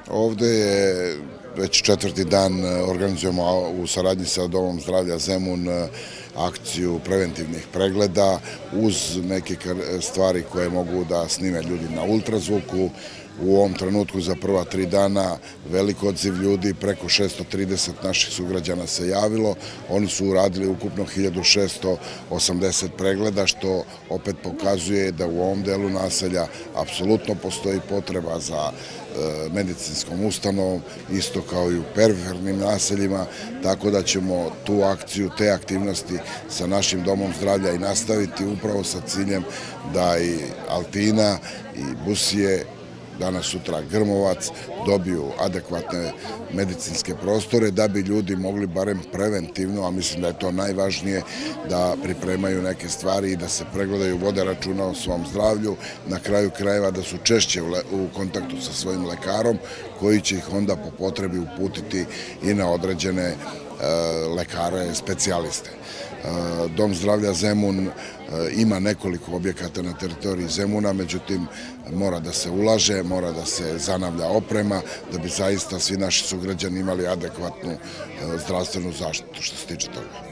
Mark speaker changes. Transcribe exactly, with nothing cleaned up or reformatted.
Speaker 1: Ovde je već četvrti dan organizujemo u saradnji sa Domom zdravlja Zemun akciju preventivnih pregleda uz neke stvari koje mogu da snime ljudi na ultrazvuku. U ovom trenutku za prva tri dana velik odziv ljudi, preko šesto trideset naših sugrađana se javilo. Oni su uradili ukupno hiljadu šesto osamdeset pregleda, što opet pokazuje da u ovom delu naselja apsolutno postoji potreba za medicinskom ustanovom, isto kao i u perifernim naseljima, tako da ćemo tu akciju, te aktivnosti sa našim Domom zdravlja i nastaviti upravo sa ciljem da i Altina i Busije, danas sutra Grmovac, dobiju adekvatne medicinske prostore da bi ljudi mogli barem preventivno, a mislim da je to najvažnije, da pripremaju neke stvari i da se pregledaju, vode računa o svom zdravlju, na kraju krajeva da su češće u kontaktu sa svojim lekarom koji će ih onda po potrebi uputiti i na određene lekare, specijaliste. Dom zdravlja Zemun ima nekoliko objekata na teritoriji Zemuna, međutim mora da se ulaže, mora da se zanavlja oprema da bi zaista svi naši sugrađani imali adekvatnu zdravstvenu zaštitu što se tiče toga.